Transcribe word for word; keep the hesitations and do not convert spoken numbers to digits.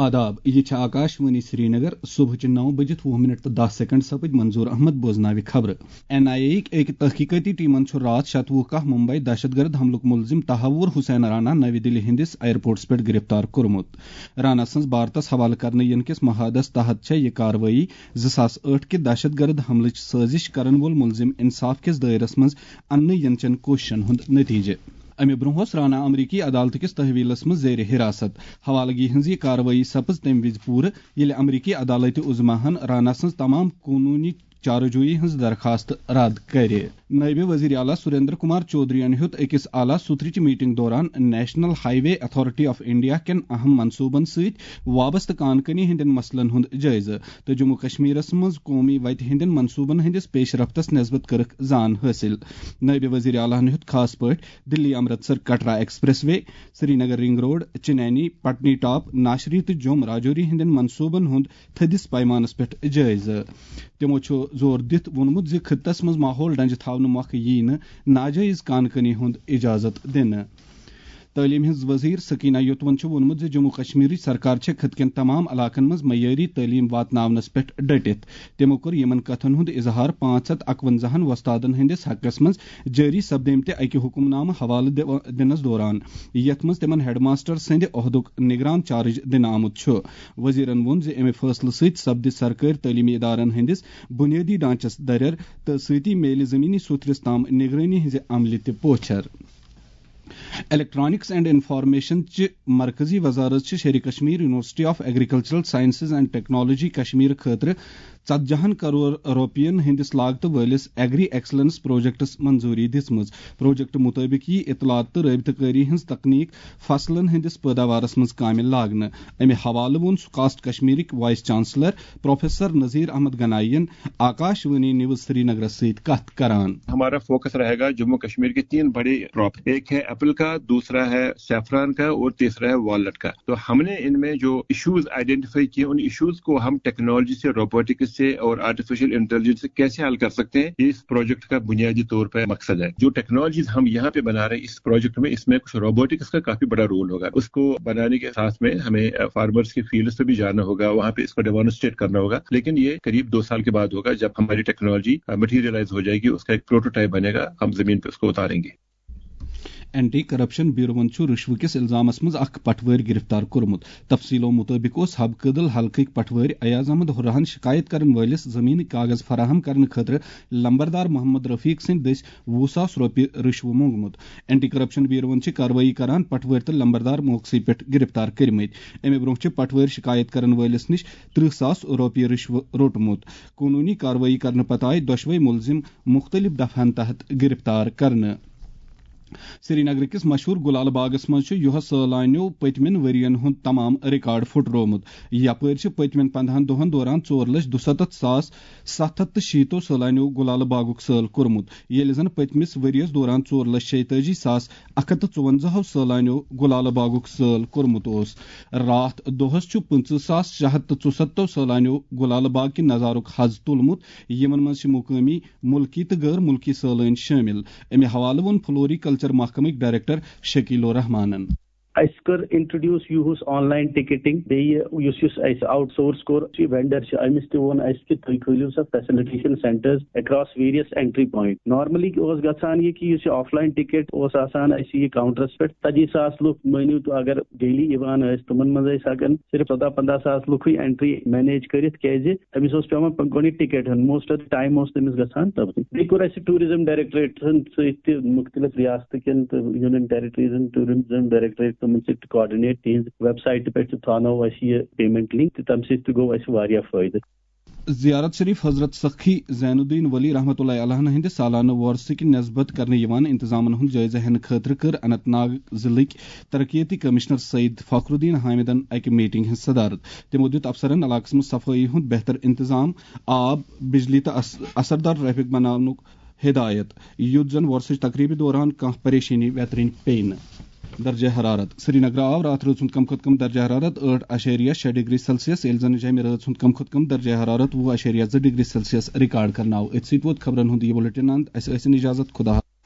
آداب، یہِ چھِ آکاش وانی سرینگر۔ صبحٕچہِ نَو بجِتھ وُہ منٹ تہٕ دَہ سیکنڈ سپٕدۍ۔ منظور احمد بوزناوِ خبرٕ۔ این آئی اے یِکۍ أکۍ تحقیقاتی ٹیمن چھُ راتھ شتوُہ کاہ ممبئی دہشت گرد حملُک مُلزِم تحور حسین رانا نوِ دِلہِ ہٕنٛدِس ایئرپورٹس پٮ۪ٹھ گرفتار کوٚرمُت۔ رانا سٕنٛز بھارتس حوالہٕ کرنہٕ یِنہٕ کِس معاہدس تحت چھےٚ یہِ کاروٲیی زٕ ساس ٲٹھ کہِ دہشت گرد حملٕچ سٲزش کرن وول مُلزِم انصاف کِس دٲیرس منٛز اننہٕ یِنہٕ چٮ۪ن کوٗششن ہُنٛد نتیجہٕ۔ امہِ برونٛہہ اوس رانا امریکی عدالتہٕ کِس تحویلس منٛز زیر حراست۔ حوالگی ہٕنٛز یہِ کاروٲیی سپٕز تَمہِ وِزِ پوٗرٕ، ییٚلہِ امریکی عدالتِ عظمیٰ ہن رانا سٕنٛز تمام قونوٗنی چارجویی ہٕنٛز درخاست رد کرِ۔ نٲیِب وزیر اعلیٰ سریندر کمار چودھرین ہیوٚت أکِس اعلیٰ سوتھرٕچ میٹنگ دوران national high way authority of India کٮ۪ن اہم منصوبن سۭتۍ وابستہٕ کان کٲنی ہٕنٛدٮ۪ن مسلن ہُنٛد جٲیزٕ تہٕ جموں کشمیرس منٛز قومی وتہِ ہٕنٛدٮ۪ن منصوبن ہٕنٛدِس پیش رفتس نسبت کٔرٕکھ زان حٲصِل۔ نٲیِب وزیر اعلیٰ ہن ہیوٚت خاص پٲٹھۍ دِلی Amritsar Katra express way, Srinagar ring road, Chenani, پٹنی top, ناشری تہٕ جوم راجوری ہٕنٛدٮ۪ن منصوبن ہُنٛد تھٔدِس پیمانس پٮ۪ٹھ جٲیزٕ۔ تِمو چھُ زور دِتھ ووٚنمُت زِ خطس منٛز ماحول ڈنجہِ تھاونہٕ مۄکھٕ یِیہِ نہٕ ناجٲیز کان کٲنی ہُنٛد اجازت دِنہٕ۔ تعلیٖم ہٕنٛز وزیر سکینہ یوتون چھُ ووٚنمُت زِ جموں کشمیرٕچ سرکار چھےٚ خطہٕ کٮ۪ن تمام علاقن منٛز معیٲری تعلیٖم واتناونس پٮ۪ٹھ ڈٔٹِتھ۔ تِمو کوٚر یِمن کتھن ہُنٛد اظہار پانٛژھ ہتھ اکونزاہن وۄستادن ہٕنٛدِس حقس منٛز جٲری سپدیمتہِ اکہِ حکم نامہٕ حوالہٕ دِو-، دِنس دوران، یتھ منٛز تِمن ہیڈ ماسٹر سٕنٛدِ عہدُک نگران چارج دِنہٕ آمُت چھُ۔ وزیرن ووٚن زِ امہِ فٲصلہٕ سۭتۍ سپدِ سرکٲرۍ تعلیمی ادارن ہٕنٛدِس بنیٲدی ڈھانچس دریر تہٕ سۭتی میلہِ زمینی سوتھرِس تام نگرٲنی ہٕنٛزِ عملہِ تہِ پوچھر۔ الیکٹرانکس اینڈ انفارمیشن چہِ مرکزی وزارت چھِ Sher Kashmir university of agricultural sciences and technology Kashmir خٲطرٕ ژتجی ہن کرور رۄپین ہٕنٛدِس لاگتہٕ وٲلِس ایگری ایکسلنس پروجیکٹس منظوٗری دِژمٕژ۔ پروجیکٹ مُطٲبِق یِیہِ اطلاعات تہٕ رٲبطہٕ کٲری ہٕنٛز تکنیٖک فصلن ہٕنٛدِس پٲداوارس منٛز کامہِ لاگنہٕ۔ امہِ حوالہٕ ووٚن سکاسٹ کشمیرٕکۍ vice chancellor professor Nazir Ahmad Ganai ین آکاش وانی نیوز سرینگرس سۭتۍ کتھ کران۔ ہمارا فوکس رہے گا جموں کشمیر کے تین بڑے کراپ، ایک ہے ایپل کا، دوسرا ہے سیفران کا اور تیسرا ہے والنٹ کا۔ تو ہم نے ان میں جو ایشوز آئیڈینٹیفائی کیے، ان ایشوز کو ہم ٹیکنالوجی سے، روبوٹکس سے اور آرٹیفیشل انٹیلیجنس سے کیسے حل کر سکتے ہیں، یہ اس پروجیکٹ کا بنیادی طور پر مقصد ہے۔ جو ٹیکنالوجیز ہم یہاں پہ بنا رہے ہیں اس پروجیکٹ میں، اس میں کچھ روبوٹکس کا کافی بڑا رول ہوگا۔ اس کو بنانے کے ساتھ میں ہمیں فارمرز کے فیلڈ پہ بھی جانا ہوگا، وہاں پہ اس کو ڈیمانسٹریٹ کرنا ہوگا، لیکن یہ قریب دو سال کے بعد ہوگا، جب ہماری ٹیکنالوجی مٹیریلائز ہو جائے گی، اس کا ایک پروٹوٹائپ بنے گا، ہم زمین پہ اس کو اتاریں گے۔ اینٹی کرپشن بیوروَن چھُ رشوٕ کِس الزامس منٛز اکھ پٹھوٲرۍ گرفتار کوٚرمُت۔ تفصیلو مُطٲبِق اوس حب کدل حلقٕکۍ پٹھوٲرۍ ایاز احمد ہُرراہن شکایت کرن وٲلِس زمینٕکۍ کاغذ فراہم کرنہٕ خٲطرٕ لمبردار محمد رفیق سٕنٛدۍ دٔسۍ وُہ ساس رۄپیہِ رشوٕ موٚنگمُت۔ اینٹی کرپشن بیوروَن چھِ کاروٲیی کران پٹھوٲرۍ تہٕ لمبردار موقعسٕے پٮ۪ٹھ گرفتار کٔرمٕتۍ۔ امہِ برونٛہہ چھِ پٹھوٲرۍ شکایت کرن وٲلِس نِش ترٕہ ساس رۄپیہِ رشوٕ روٚٹمُت۔ قونوٗنی کاروٲیی کرنہٕ پتہٕ آیہِ دۄشوے مُلزِم مُختٔلِف دفعن تحت گرفتار کرنہٕ۔ سرینگرٕ کِس مشہوٗر گُلالہٕ باغس منٛز چھُ یُہس سٲلانیو پٔتمٮ۪ن ؤرین ہُنٛد تمام ریکارڈ پھُٹرومُت۔ یپٲرۍ چھِ پٔتمٮ۪ن پندہن دۄہن دوران ژور لچھ دُسَتتھ ساس ستھ ہتھ تہٕ شیٖتو سٲلانیو گُلالہٕ باغُک سٲل کوٚرمُت، ییٚلہِ زن پٔتمِس ؤرِیَس دوران ژور لچھ شیٚیہِ تٲجی ساس اکھ ہتھ تہٕ ژُوَنزاہو سٲلانیو گُلالہٕ باغُک سٲل کوٚرمُت اوس۔ راتھ دۄہس چھُ پٕنٛژٕہ ساس شےٚ ہتھ تہٕ ژُسَتتھو سٲلانیو گُلالہٕ باغ کہِ نظارُک حظ تُلمُت، یِمن منٛز چھِ مقٲمی، مُلکی تہٕ غٲر مُلکی سٲلٲنۍ شٲمِل۔ امہِ حوالہٕ ووٚن فلوری کلچر محکمٕکۍ ڈائریکٹر شکیل الرحمانن۔ اسہِ کٔر انٹروڈیوس یوٗہس آن لاین ٹکٹنگ، بیٚیہِ یُس یُس اسہِ آوٹ سورس کوٚر، یہِ وینڈر چھُ، أمِس تہِ ووٚن اسہِ کہِ تُہۍ کھٲلِو سا facilitation centres across various entry point. Normally اوس گژھان یہِ کہِ یُس یہِ آف لاین ٹکٹ اوس آسان اسہِ یہِ کاؤنٹرس پٮ۪ٹھ، ژتجی ساس لُکھ مٲنِو تُہۍ اگر ڈیلی یِوان ٲسۍ، تِمن منٛز ٲسۍ ہٮ۪کان صرف ژۄداہ پنٛداہ ساس لُکھٕے اینٹری مینیج کٔرِتھ، کیازِ أمِس اوس پٮ۪وان پَ-، گۄڈٕنیتھ ٹکٹ ہیوٚن، موسٹ آف دی ٹایم اوس تٔمِس گژھان تَبتٕے۔ بیٚیہِ کوٚر اَسہِ ٹوٗرِزم ڈایریکٹریٹن سۭتۍ تہِ، مُختٔلِف ریاستہٕ کٮ۪ن تہٕ یوٗنین ٹیریٹریزن ٹوٗرِزم ڈایریکٹریٹ تِمن سۭتۍ تہِ کاڈِنیٹ، تِہنٛز ویب سایٹہِ پٮ۪ٹھ تہِ تھاونٲو اَسہِ یہِ پیمنٹ لِنک تہٕ تَمہِ سۭتۍ تہِ گوٚو اَسہِ واریاہ فٲیدٕ۔ زیارت شریف حضرت سخی زین الدین ولی رحمۃ اللہ علیہ ہٕنٛدِ سالانہٕ وۄرثہٕ کہِ نسبت کرنہٕ یِوان انتظامن ہُنٛد جٲیزٕ ہینہٕ خٲطرٕ کٔر اننت ناگ ضلعٕکۍ ترقیتی کمشنر سعید فخر الدین حامدن اکہِ میٹنگ ہٕنٛز صدارت۔ تِمو دِیُت افسرن علاقس منٛز صفٲیی ہُنٛد بہتر انتظام، آب، بجلی تہٕ اث-، اثردار ٹریفک بناونُک ہدایت، یُتھ زن وۄرثٕچ تقریبہِ دوران کانٛہہ پریشٲنی ویترٕنۍ پیٚیہِ نہٕ۔ درجہ حرارت۔ سرینگر آو راتھ رٲژ ہُنٛد کم کھۄتہٕ کم درجہ حرارت ٲٹھ اَشیریہ شےٚ ڈگری سیلسیس، ییٚلہِ زن جیٚمہِ رٲژ ہُنٛد کم کھۄتہٕ کم درجہ حرارت وُہ اَشیریہ زٕ ڈگری سیلسیس ریکارڈ کرنہٕ آو۔ أتھۍ سۭتۍ ووت خبرن ہُنٛد یہِ بُلٹن اند۔ اسہِ ٲسِن اجازت، خدا حافظ۔